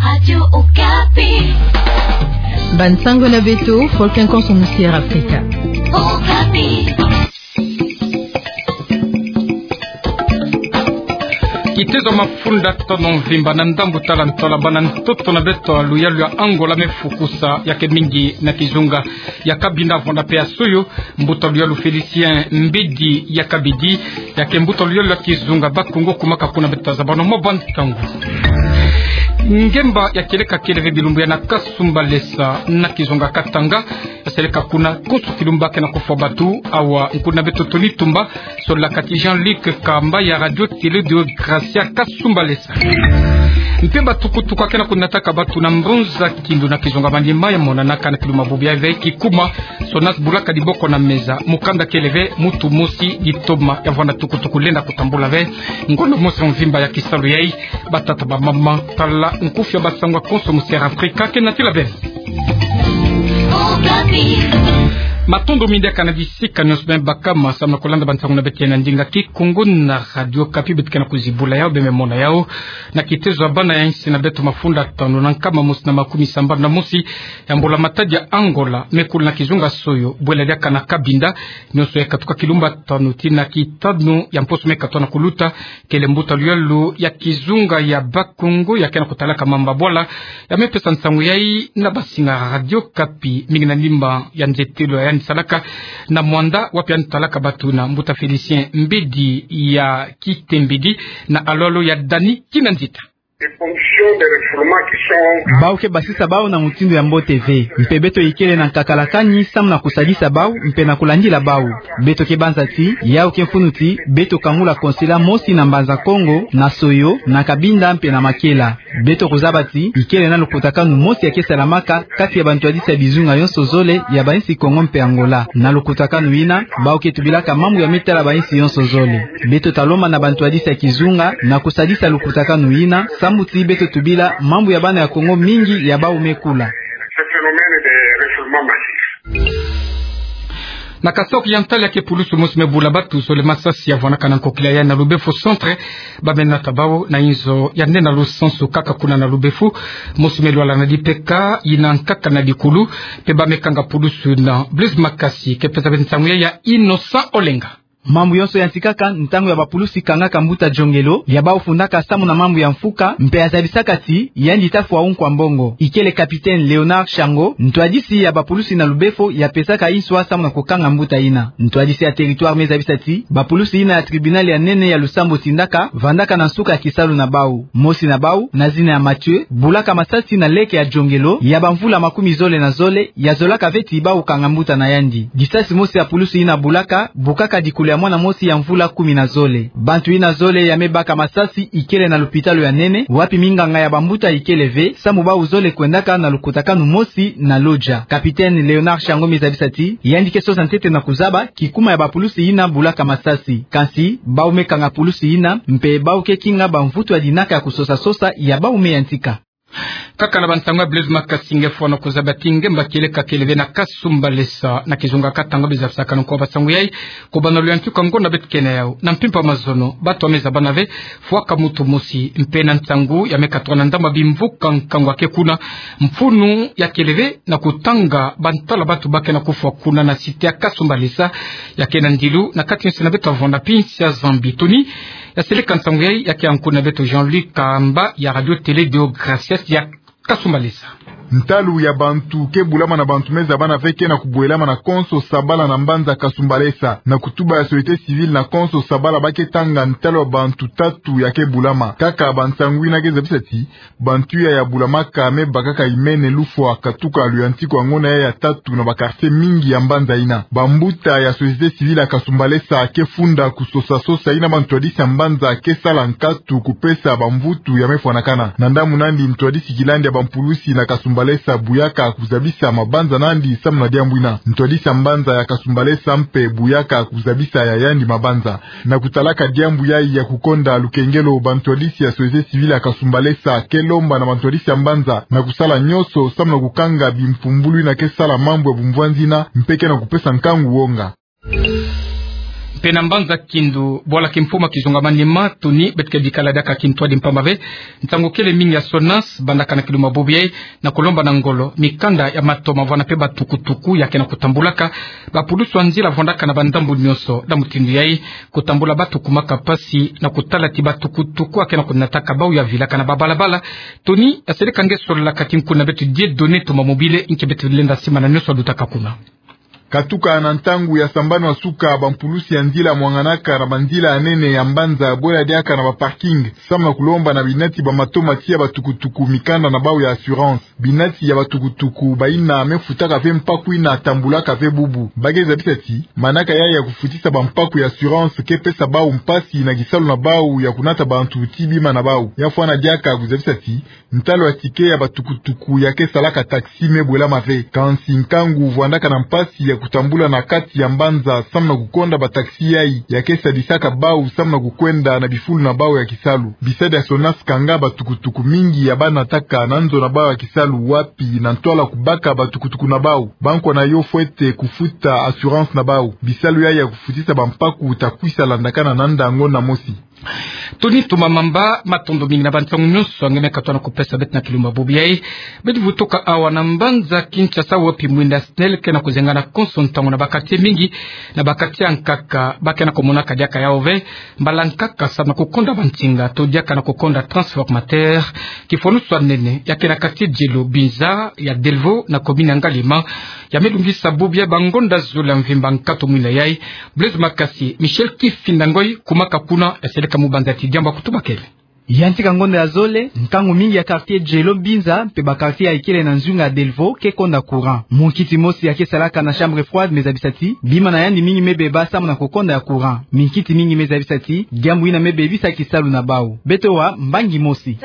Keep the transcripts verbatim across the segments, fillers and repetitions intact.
Radio Okapi. Bansango na beto, Volcan Konso Musière Afrika. Okapi. Kitezo mafunda tano mvimba na ndambu tala ntola bana ntoto na beto ya luyalu ya Angola me fukusa ya ke mingi na kizunga ya Cabinda, vwanda pe ya Soyo. Mbuta luyalu Félicien Mbedi ya Kabidi, ya ke mbuta luyalu ya kizunga Bakongo, kumaka kuna beto ta zabano mwa bwa ntangu. Ngemba ya kieleka kieleve bilumbu ya na Kasumbalesa na kizunga Katanga, ya seleka kuna konso kilumbu ke na kufwa batu. Awa nkuna beto Tony Tumba, solaka ti Jean-Luc Kamba ya Radio Télé de Gracia Kasumbalesa. Mpe batukutuku ya ke na kunataka batu na Mbonza Kindu na kizunga Maniema ya monanaka na kiluma bubu ya ve kikuma sona bulaka diboko na meza, mukanda kieleve mutu mosi ditoma ya vwanda tukutuku lenda kutambula ve. Ngonda mosi mvimba ya kisalu yai, batata, bamama, tala nkufi ya bansango ya Konso Musière Afrika ke natila beno. Matondo mingi ya kana bisika nyonso beno bakama samu na kulanda bansango na beto ya na ndinga Kikongo na Radio Okapi. Beto ke na kuzibula yau, beno me mona yau na kitezo ya bana ya insi na beto mafunda tano na nkama mosi na makumi sambanu na mosi ya mbula matadi ya Angola me kula na kizunga Soyo, bwela diaka na Cabinda, nyonso ya katuka kilumbu tano tii na kitano ya mposo me katoa na kuluta. Kele mbuta luyalu ya kizunga ya Bakongo ya ke na kutalaka mambu ya bwala, ya me pesa nsangu yai na basinga Radio Okapi, mingi na ndimba ya nzetelo ya yandi salaka na Muanda, wapi yandi talaka batu na mbuta Félicien Mbedi ya Kitembidi na Aloalo ya Dani Kinanzita. Bau ke basisa bau na mutindu ya mbote ve, mpe beto ikele na nkakalakani samu na kusadisa bau mpe na kulandila bau. Beto ke banza ti yau ke mfunu ti beto kangula konsela mosi na Mbanza Kongo, na Soyo, na Cabinda mpe na Makela. Beto kuzaba ti ikele na lukutakanu mosi ya ke salamaka kati ya bantwadisi ya bizunga yonso zole ya bainsi Kongo mpe Angola. Na lukutakanu yina, bau ke tubilaka mambu ya me tala bainsi yonso zole. Beto ta lomba na bantwadisi ya kizunga na kusadisa lukutakanu yina, sambu ti beto tubila mambu ya bana ya Kongo mingi ya bau me kula. Na Kasaï Oriental, ya ke pulusu mosi me bula batu zole masasi ya vwanaka na nkokila ya na Lubefu Centre, ba me nata bau na inzo ya nde na lusansu kaka kuna na Lubefu. Mosi me lwala na dipeka, yina nkaka na dikulu, mpe ba me kanga pulusu yina. Blaise Makasi ke pesa beno nsangu ya, ya Innocent Olenga. Mambu yonso yantikaka ntangu ya bapulusi kangaka mbuta Jongelo, ya bau fundaka samu na mambu ya mfuka, mpe ya zabisaka ti yandi ta fwa unkwa mbongo. Ikele Capitaine Léonard Shango, ntwadisi ya bapulusi na Lubefu, ya pesaka inswa samu na kukanga mbuta yina. Ntwadisi ya territoire me zabisa ti bapulusi yina ya tribunal ya nene ya Lusambo tindaka, vandaka na nsuka ya kisalu na bau. Mosi na bau, na zina ya Mathieu, bulaka masasi na leke ya Jongelo ya bamvula makumi zole na zole, ya zolaka ve ti bau kanga mbuta na yandi. Disasi mosi ya pulusu yina bulaka, bukaka dikulu ya mwana mosi ya mvula kumi na zole. Bantu yina zole ya me baka masasi ikele na lupitalu ya nene, wapi minganga ya bambuta ikele ve, samu bau zole kwendaka na lukutakanu mosi na Lodja. Capitaine Léonard Shango me zabisa ti yandi ke sosa ntete na kuzaba kikuma ya bapulusi yina bulaka masasi. Kansi, bau me kanga pulusi yina, mpe bau ke kinga bamvutu ya dinaka ya kusosa-sosa ya bau me yantika. Kaka na bansangu ya Blaise Makasi nge fwana kuzaba ti ngemba kieleka kieleve na Kasumbalesa na kizunga Katanga, be zabisakana nkwa bansangu yai, kubana luyantiku ya ngonda beto ke na yau. Na mpimpa mazono, batu ya me zabana ve, fwaka mutu mosi, mpe na ntangu ya me katoka na ndambu ya bimvuka nkangu ya ke kuna, mfunu ya kieleve na kutanga bantala batu ba ke na kufwa kuna na cité ya Kasumbalesa, ya ke na ndilu na kati nsi na beto ya vwanda pinsi ya Zambie. Tony, ya seleka nsangu yai, ya ke ankuna beto Jean-Luc Kamba ya Radio Télé de Gracias ya Kasumbalesa. Ntalu ya bantu ke bulama na bantu me zabana ve ke na kubwelama na konso sabala na mbanza Kasumbalesa. Na kutuba ya société civile na konso sabala, ba ke tanga ntalu ya bantu tatu ya ke bulama. Kaka bansangu yina ke zabisa ti bantu yai ya bulamaka me bakaka imene lufwa katuka luyantiku ya ngonda yai ya tatu na ba quartier mingi ya mbanza yina. Bambuta ya société civile ya Kasumbalesa ke funda kusosa-sosa yina bantwadisi ya mbanza ke sala nkatu kupesa bamvutu ya me fwanakana. Na ndambu nandi, ntwadisi kilandi ya bampulusi na Kasumbalesa buyaka kuzabisa mabanza nandi samu na diambu yina. Ntwadisi ya mbanza ya Kasumbalesa mpe buyaka kuzabisa ya yandi mabanza. Na kutalaka diambu yai ya kukonda lukengelo, bantwadisi ya société civile ya Kasumbalesa ke lomba na bantwadisi ya mbanza na kusala nyonso samu na kukanga bimpumbulu yina ke sala mambu ya bumvwanzi yina mpe ke na kupesa nkangu wonga. Mpe na mbanza Kindu, bwala kimfumu ya kizunga Maniema, toni beto ke bikala diaka kintwadi mpamba ve ntangu kele mingi ya SONAS bandaka na kilumbu ya bubu yai na kulomba na ngolo mikanda ya matoma vwanda mpe batukutuku ya ke na kutambulaka bapulusu ya nzila vwandaka na bandambu nyonso. Na mutindu yai, kutambula batu kumaka mpasi na kutala ti batukutuku ya ke na kunataka bau ya vilaka na babalabala. Toni, ya seleka nge solola kati nkuna beto Dieudonné Tumamobile, nki beto lenda simana nyonso ya lutaka kuna. Katuka na ntangu ya sambanu ya suka, bampulusi ya nzila mwanganaka na banzila ya nene ya mbanza, bwela diaka na baparking, samu na kulomba na binati ba matoma tiya batukutuku mikanda na bau ya assurance. Binati ya batukutuku baina me futaka ve mpaku ina tambulaka ve bubu. Ba ke zabisa ti manaka yai ya kufutisa bampaku ya assurance ke pesa bau mpasi na kisalu na bau ya kunata bantu ti bima na bau. Ya fwana diaka kuzabisa ti ntalu ya ticket ya batukutuku ya ke salaka taxi me bwelama ve. Kansi nkangu vwandaka na mpasi ya kutambula na kati ya mbanza samu na kukonda bataxi yai ya ke sadisaka bau samu na kukwenda na bifulu na bau ya kisalu. Bisadi ya SONAS kanga batukutuku mingi ya ba nataka na nzo na bau ya kisalu, wapi na ntwala kubaka batukutuku na bau, bankwa na yo fwete kufuta assurance na bau. Bisalu yai ya kufutisa bampaku ta kwisa landakana na nda ngonda mosi. Toni Tumamamba, matondo mingi na bantangu nyonso nge me katuka na kupesa beto na kilumbu ya bubu yai. Beto vutuka awa na mbanza Kinshasa, wapi mwinda SNEL ke na kuzengana konso ntangu na ba quartier mingi. Na ba quartier ya nkaka ba ke na kumonaka diaka yau ve mbala nkaka samu na kukonda bansinga to diaka na kukonda transformateur. Kifwanusu ya nene ya ke na quartier Djelo Binza ya Delvaux na commune ya Ngaliema. Ya me lungisa bubu yai bangonda zole ya mvimba nkatu mwinda yai. Blaise Makasi, Michel Kifinda Ngoy, kumaka kuna, ya seleka mu banza ti diambu ya kutubakele. Yantika ngonda ya zole, nkangu mingi ya quartier Djelo Binza mpe ba quartier ya ikele na nzunga ya Delvaux ke konda courant. Munkiti mosi ya ke salaka na chambre froide me zabisa ti bima na yandi mingi me beba samu na kukonda ya courant. Minkiti mingi me zabisa ti diambu ina me bebisa kisalu na bau. Beto wa mbangi mosi.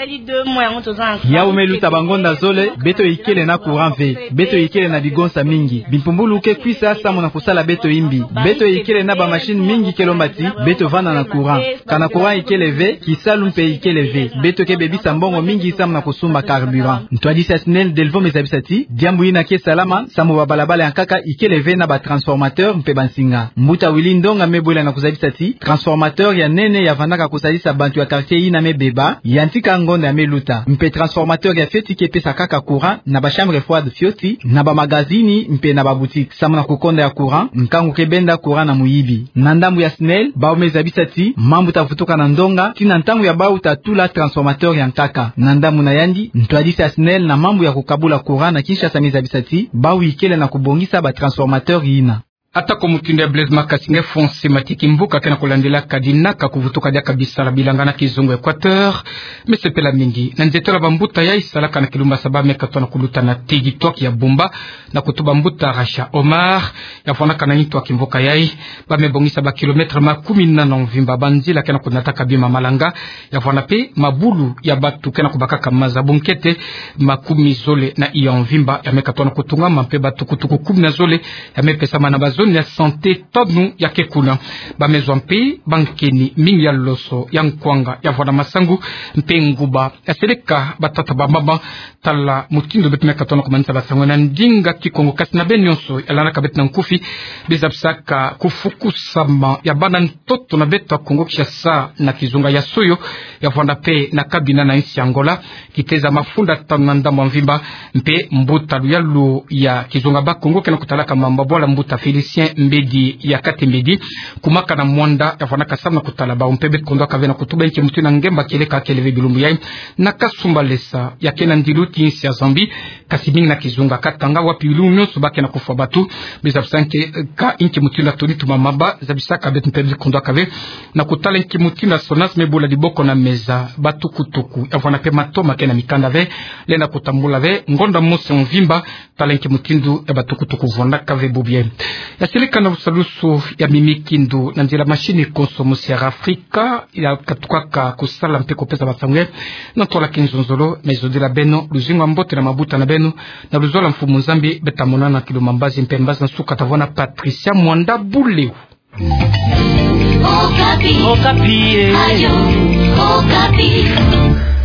Yau me luta bangonda zole, beto ikele na courant ve. Beto ikele na bigonsa mingi. Bimpumbulu ke kwisa samu na kusala beto imbi. Beto ikele na ba machine mingi ke lomba ti beto vanda na courant. Kana courant ikele ve, kisalu mpe ikele ve. Beto ke bebisa mbongo mingi samu na kusumba carburant. Ntwadisi ya SNEL Delvaux me zabisa ti diambu ina ke salama samu babalabala ya nkaka ikele ve na ba transformateur mpe bansinga. Mbuta Willy Ndonga me bwela na kuzabisa ti transformateur ya nene ya vandaka kusadisa bantu ya quartier ina me beba, yantika ngonda ya me luta. Mpe transformateur ya fioti ke pesa kaka courant na ba chambre froide fioti, na ba magazini mpe na ba boutique. Samu na kukonda ya courant, nkangu ke benda courant na muyibi. Na ndambu ya SNEL, bau me zabisa ti mambu ta vutuka na ndonga tii na ntangu ya bau ta tula transformateur ya nkaka. Na ndambu na yandi, ntwadisi ya SNEL na mambu ya kukabula courant na Kinshasa me zabisa ti bau ikele na kubongisa ba transformateur ina. Atako mutindu ya Blaise Makasi, nge Fonse Matiki Mbuka ke na kulandila kadi naka kuvutuka diaka bisala bilanga na kizunga Equateur. Me sepela mingi na nzietolo ya bambuta yai salaka na kilumbu ya saba me katuka na kuluta na territoire ya Bumba, na kutuba mbuta Rasha Omar, ya vwandaka na ntu ya kimvuka yai. Ba me bongisa ba kilomètre makumi nana mvimba banzila ke na kunataka bima malanga, ya vwanda mpe mabulu ya batu ke na kubakaka maza. Bunkete makumi zole na iya mvimba ya me katuka na kutungama, mpe batukutuku kumi na zole ya me pesama na ba zone ya santé tanu ya ke kuna. Ba me zwa mpe bankeni mingi ya loso, ya nkwanga, ya vwanda masangu mpe nguba. Ya seleka batata bamama, tala mutindu beto me katuka na kumanisa basango na ndinga Kikongo. Kasi na beno nyonso ya landaka beto na nkufi, biza bisaka kufukusama ya bana ntoto na beto ya Kongo Kinshasa na kizunga ya Soyo, ya vwanda mpe na Cabinda na insi ya Angola, kiteza mafunda tanu na ndambu ya mvimba. Mpe mbuta luyalu ya kizunga Bakongo ke na kutalaka mambu ya bwala, mbuta Félicien Mbedi ya Kati Mbedi, kumaka na Muanda, ya vwandaka samu na kutala bau. Mpe beto kondwaka ve na kutuba nki mutindu ngemba kieleka kele ve bilumbu yai na Kasumbalesa ya ke na ndilu ti insi ya Zambie, kasi mingi na kizunga Katanga, wapi bilumbu nyonso ba ke na kufwa batu. Biza bisaka nki mutindu Tony Tumamamba zabisaka beto, mpe beto kondwaka ve na kutala nki mutindu SONAS me bula diboko na meza batukutuku, ya vwanda mpe matoma ke na mikanda ve, lenda kutambula ve ngonda mosi mvimba. Tala nki mutindu ya batukutuku vwandaka ve bubu yai. Ya seleka na lusalusu ya mimikindu na nzila mashini konso mosi ya Afrika ya katukaka kusala mpe kupesa basango yai na ntwala kinzonzolo. Me zodila beno luzingu ya mbote na mabuta na beno, na luzolo ya Mfumu Nzambi. Beto ta monana kilumbu ya mbazi, mpe mbazi ya nsuka ta vwanda Patricia Mwanda Buleu. Okapi. Okapi, eh. Radio Okapi.